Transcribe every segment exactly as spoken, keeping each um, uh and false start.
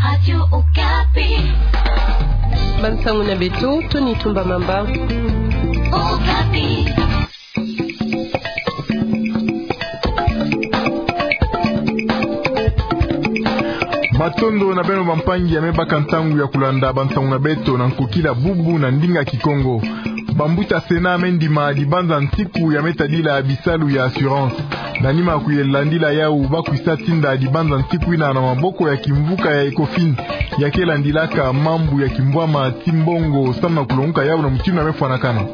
Radio Okapi. Bansangu na beto, Tony Tumba Mamba. Okapi. Matondo na beno bampangi ya me baka ntangu ya kulanda bansangu na beto na nkokila bubu na ndinga Kikongo. Bambuta Sénat me ndima dibanza nsiku ya me tadila bisalu ya assurance. Na nima kuye landila yau ba kwisa tinda dibanza nsiku ina na maboko ya kimvuka ya Ecofin, ya ke landilaka mambu ya kimbwama ti mbongo, samu na kulonguka yau na mutindu ya me fwanakana.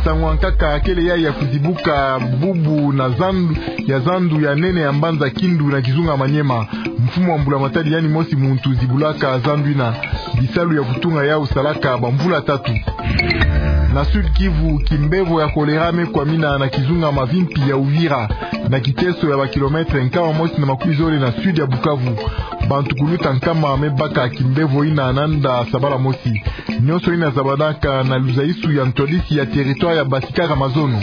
Nsangu ya nkaka kele ya ya kuzibuka bubu na zandu, ya zandu ya nene ya mbanza Kindu na kizunga Maniema. Mfumu wa mbula matadi yani mosi muntu zibulaka zandu ina. Bisalu ya kutunga yau salaka bamvula tatu. Na Sud Kivu, kimbevo ya choléra me kwamina na kizunga Mavimpi ya Uvira, na kiteso ya ba kilomètre nkama mosi na makumi zole na sud ya Bukavu. Bantu kuluta nkama me baka kimbevo ina nanda sabala mosi. Nyonso ina zabanaka na luzaisu ya ntwadisi ya territoire ya Basikara Mazono.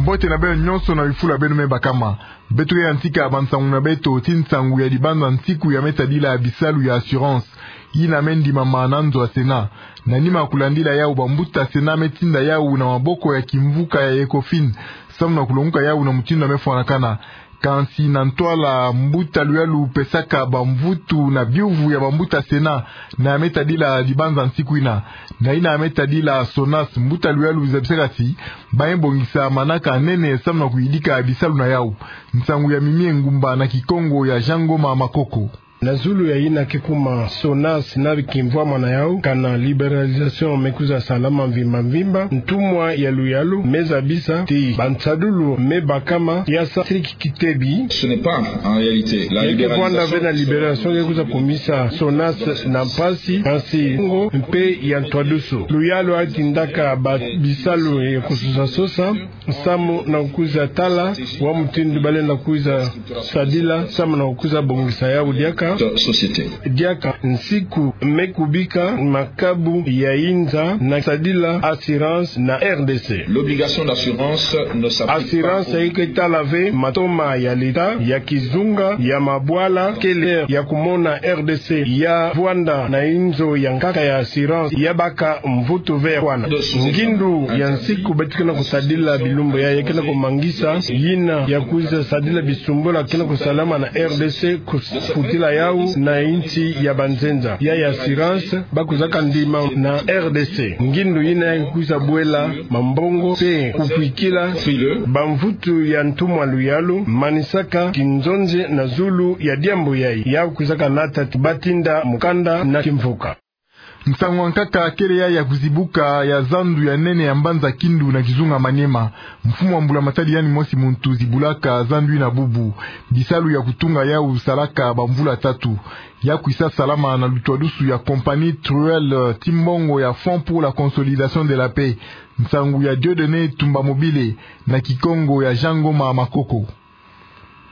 Mbote na beno nyonso na bifulu ya beno me bakama. Beto ke yantika bansangu na beto ti nsangu ya dibanza nsiku ya me tadila bisalu ya assurance, ina me ndimama na nzo ya Sénat. Na nima kulandila yau, bambuta Sénat me tinda yau na maboko ya kimvuka ya Ecofin, samu na kulonguka yau na mutindu ya me fwanakana. Kansi na ntwala, mbuta Luyalu pesaka bamvutu na biuvu ya bambuta Sénat na ya me tadila dibanza nsiku ina. Na ina ya me tadila SONAS, mbuta Luyalu zabisaka ti ba me bongisa manaka nene samu na kuyidika bisalu na yau. Nsangu ya Mimie Ngumba na Kikongo ya Jean Ngoma Makoko. Na zulu ya ina ke kuma SONAS na bikimvwama na yau, kana libéralisation me kwiza salama mvimba mvimba, ntumwa ya Luyalu me zabisa ti bansadulu me bakama ya sa siriki kitebi. Ce n'est pas, en réalité, la libéralisation. Ya ke vwanda ve na libéralisation ke kwiza kumisa SONAS na mpasi, kansi ngo mpe ya ntwadusu. Luyalu atindaka ba bisalu ya kusosa sosa, samu na kwiza tala wa mutindu ba lenda kwiza sadila, samu na kwiza bongisa yau diaka. Société. Diaka nsiku me kubika makabu ya inza na sadila assurance na R D C. L'obligation d'assurance ne s'applique pas. Assurance eke tala ve matoma ya leta, ya kizunga, ya mabwala, kele ya kumona R D C ya vwanda na inzo ya nkaka ya assurance ya baka mvutu ve ya kwana. Ngindu ya nsiku beto ke na kusadila bilumbu ya, ya ke na kumangisa yina ya kwiza sadila bisumbula ke na kusalama na R D C, kufutila yau na insi ya banzenza. Ya, ya assurance ba kwizaka ndima na R D C. Ngindu yina ya kwiza bwela mambongo mpe kukwikila bamvutu ya ntumwa Luyalu, manisaka kinzonzi na zulu ya diambu yayi. Ya kwizaka nata ti ba tinda mukanda na kimvuka. Nsangu ya nkaka kele ya ya kuzibuka ya zandu ya nene ya mbanza Kindu na kizunga Maniema. Mfumu wa mbula matadi yani mosi muntu zibulaka zandu ina bubu. Bisalu ya kutunga yau salaka bamvula tatu. Ya kwisa salama na lutwadusu ya compagnie Truelle ti mbongo ya Fonds pour la consolidation de la paix. Nsangu ya Dieudonné Tumba Mobile na Kikongo ya Jean Ngoma Makoko.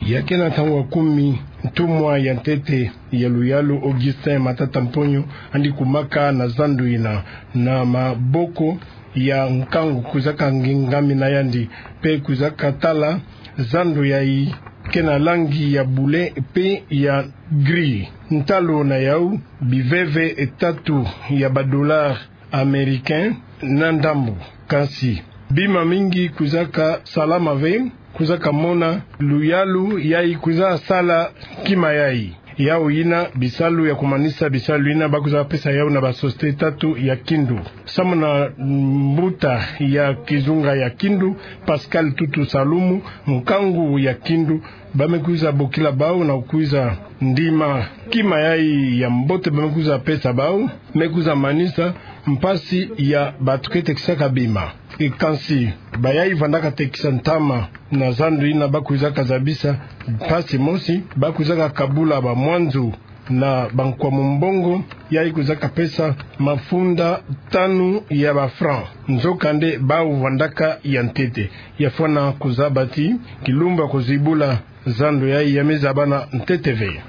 Ya ke na ntangu ya kumi, ntumwa ya ntete ya Luyalu Augustin Matata Mponyo andi kumaka na zandu ina na maboko ya nkangu kwizaka ngingamina yandi, mpe kwizaka tala zandu yayi ke na langi ya bule mpe ya gris. Ntalu na yau, biveve tatu ya ba dollars américains na ndambu. Kansi bima mingi kwizaka salama ve, kwizaka mona Luyalu yayi kwiza sala kima yayi. Yau yina bisalu ya kumanisa, bisalu yina ba kwiza pesa yau na ba société tatu ya Kindu. Samu na mbuta ya kizunga ya Kindu, Pascal Tutu Salumu, nkangu ya Kindu, ba me kwiza bokila bau na kwiza ndima kima yayi ya mbote ba me kwiza pesa bau, me kwiza manisa mpasi ya batu ke tekisaka bima. E kansi, bayayi vandaka tekisa ntama na zandu yina ba kwizaka zabisa mpasi mosi, ba kwizaka kabula bamwanzu na bankwamu mbongo, yayi kwizaka pesa mafunda tanu ya ba francs. Nzokande bau vandaka ya ntete. Ya fwana kuzaba ti kilumbu ya kuzibula zandu yayi ya me zabana ntete ve.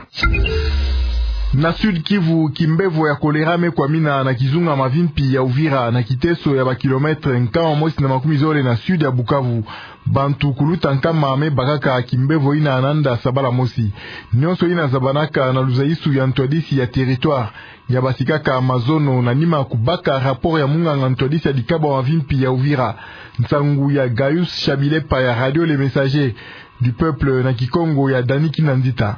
Na Sud-Kivu, kimbevo ya choléra me kwamina na kizunga mavimpi ya Uvira, na kiteso ya ba kilomètre nkama mosi na makumi zole na sud ya Bukavu. Bantu kuluta nkama me bakaka kimbevo yina na nda sabala mosi. Nyonso yina zabanaka na luzaisu ya ntwadisi ya territoire, ya basikaka mazono na nima kubaka rapport ya munganga ntwadisi ya dikabo ya mavimpi ya Uvira. Nsangu ya Gaius Chabilepa ya Radio Le Messager du Peuple na Kikongo ya Dani Kinanzita.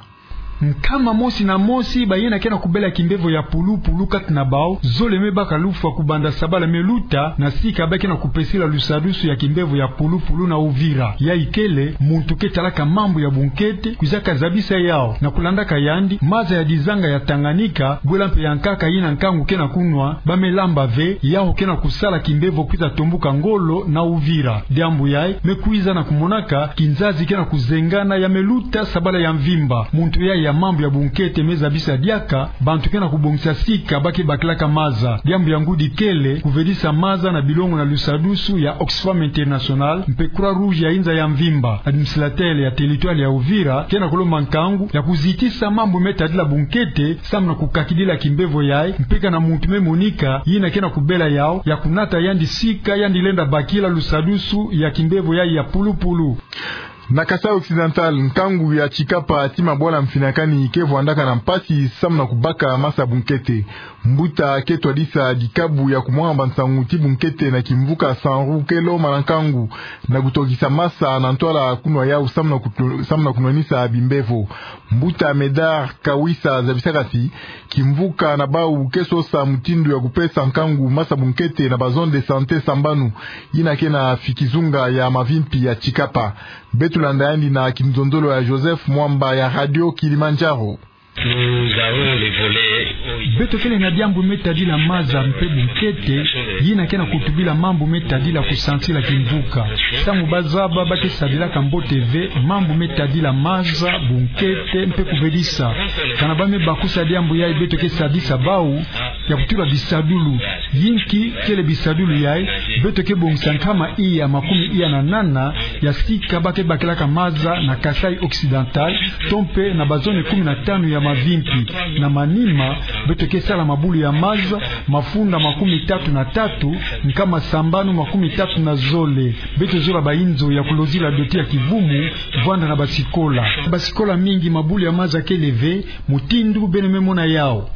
Nkama mosi na mosi bayina ke na kubela kimbevo ya pulupulu kati na bawu, zole me baka lufwa kubanda sabala me luta, na sika ba ke na kupesila lusadusu ya kimbevo ya pulupulu na Uvira. Yayi kele, muntu ke talaka mambu ya bunkete, kwizaka zabisa yawu, na kulandaka yandi, maza ya dizanga ya Tanganyika, bwela mpe ya nkaka yina nkangu ke na kunwa, ba me lamba ve, yawu ke na kusala kimbevo kwiza tombuka ngolo na Uvira. Diambu yayi, me kwiza na kumonaka, kinzazi ke na kuzengana ya me luta sabala ya mvimba. Muntu yayi ya mambu ya bunkete me zabisa diaka, bantu ke na kubongisa sika ba ke bakilaka maza. Diambu ya ngudi kele, kuvedisa maza na bilongo na lusadusu ya Oxfam International, mpe Croix-Rouge ya inza ya mvimba. Administrateur ya territoire ya Uvira, ke na kulomba nkangu, ya kuzitisa mambu me tadila bunkete, samu na kukakidila kimbevo yayi, mpe kana muntu me monika, yina ke na kubela yawu, ya kunata yandi sika, yandi lenda bakila lusadusu ya kimbevo yayi ya pulupulu. Na Kasaï Occidental, nkangu ya Tshikapa ti mabwala mfinakani ke vwandaka na mpasi samu na kubaka masa bunkete. Mbuta ke twadisa dikabu ya kumwanga bansangu ti bunkete na kimvuka Sanru ke lomana nkangu na kutokisa masa na ntwala kunwa yawu samu na kutu-, samu na kunwanisa bimbevo. Mbuta Medard Kawisa zabisaka ti kimvuka na bawu ke sosa mutindu ya kupesa nkangu masa bunkete na ba zone de santé sambanu yina ke na kizunga ya mavimpi ya Tshikapa. Beto landa yandi na kinzonzolo ya Joseph Mwamba ya Radio Kilimanjaro. Beto kele na diambu me tadila maza mpe bunkete, yina ke na kutubila mambu me tadila kusansila kimvuka. Samu ba zaba ba ke sadilaka mbote ve mambu me tadila maza, bunkete, mpe kuvedisa. Kana ba me bakusa diambu yayi, beto ke sadisa bawu ya kutula bisadulu. Yinki kele bisadulu yayi? Beto ke bongisa nkama iya makumi iya na nana ya sika ba ke bakilaka maza na Kasaï Occidental, to mpe na ba zone kumi na tanu ya mavimpi. Na manima, beto ke sala mabulu ya maza, mafunda makumi tatu na tatu, nkama sambanu makumi tatu na zole. Beto zola ba inzo ya kulozila doto ya kivumu, vwanda na basikola. Basikola mingi mabulu ya maza kele ve, mutindu beno me mona yawu.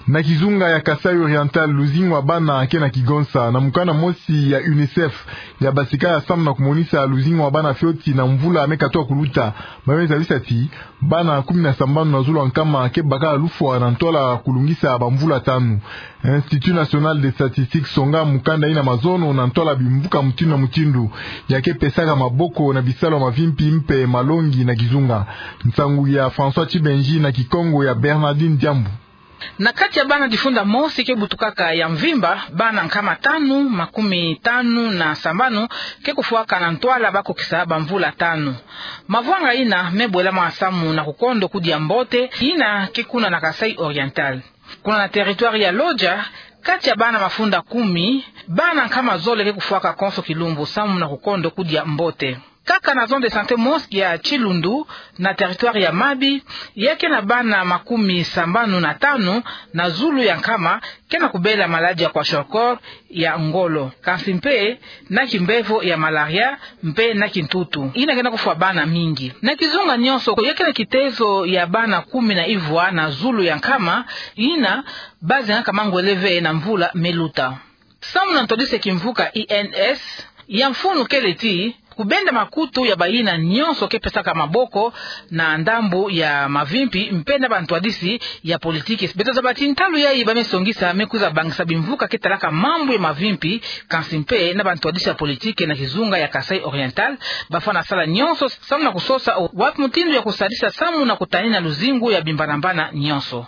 Na kizunga ya Kasaï Oriental, luzingu ya bana ke na kigonsa. Na mukanda mosi ya UNICEF, ya basika ya samu na kumonisa luzingu ya bana fioti na mvula me katuka kuluta, ba me zabisa ti bana kumi na sambanu na zulu ya nkama ke baka lufwa na ntwala kulungisa bamvula tanu. Institut National des Statistiques songa mukanda yina mazono na ntwala bimvuka mutindu na mutindu ya ke pesaka maboko na bisalu ya mavimpi mpe malongi na kizunga. Nsangu ya François Tchibenji na Kikongo ya Bernardine Diambu. Na kati ya bana difunda mosi ke butukaka ya mvimba, bana nkama tanu makumi tanu na sambanu ke kufwaka na ntwala ba kokisa bamvula tanu. Mavwanga yina me bwelama samu na kukondo kudia mbote, yina ke kuna na Kasaï Oriental. Kuna na territoire ya Lodja, kati ya bana mafunda kumi, bana nkama zole ke kufwaka konso kilumbu samu na kukondo kudia mbote. Kaka na zone de santé mosi ya Tshilundu, na territoire ya Mabi, ya ke na bana makumi sambanu na tanu na zulu ya nkama ke na kubela maladie ya kwashiorkor ya ngolo, kansi mpe na kimbevo ya malaria mpe na kintutu yina ke na kufwa bana mingi. Na kizunga nyonso, ya ke na kitezo ya bana kumi na ivwa na zulu ya nkama yina ba zengaka mangwele ve na mvula me luta. Samu na ntwadisi ya kimvuka I N S, ya mfunu kele ti kubenda makutu ya bayina nyonso ke pesaka maboko na ndambu ya mavimpi mpe na bantwadisi ya politiki. Beto zaba ti ntalu yayi ba me songisa me kwiza bangisa bimvuka ke talaka mambu ya mavimpi, kansi mpe na bantwadisi ya politiki na kizunga ya Kasaï Oriental, ba fwana sala nyonso samu na kusosa wapi mutindu ya kusadisa samu na kutanina luzingu ya bimbanambana nyonso.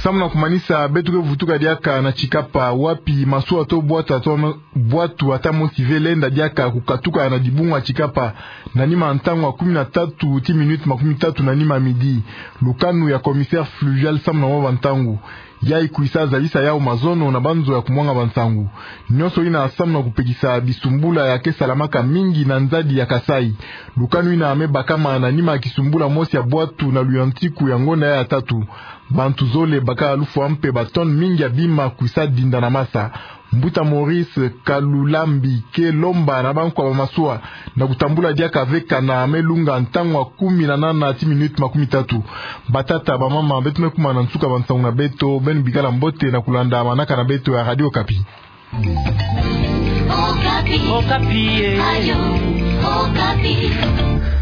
Samu na kumanisa, beto ke vutuka diaka na Tshikapa, wapi masuwa to bwatu ata mo-, bwatu ata mosi ve lenda diaka kukatuka na dibungu ya Tshikapa, na nima ntangu ya kumi na tatu ti minute makumi tatu na nima midi. Lukanu ya commissaire fluvial samu na mwa bantangu. Yayi kwisa zalisa yawu mazono na banzo ya kumwanga bansangu. Nionso ina samu na kupekisa bisumbula ya ke salamaka mingi na nzadi ya Kasaï. Lukanu ina me bakama na nima ya kisumbula mosi ya bwatu na luyantiku ya ngonda ya tatu. Bantu zole baka lufwa mpe ba tonnes mingi ya bima kwisa dinda na masa. Mbuta Maurice Kalulambi ke lomba na bankwa ba masuwa na kutambula diaka ve kana me lunga ntangu ya kumi na nana ti minutes makumi tatu. Batata, bamama, beto me kuma na nsuka bansangu na beto, beno bikala mbote na kulanda manaka na beto ya Radio Okapi. Okapi. Okapi, eh. Radio Okapi.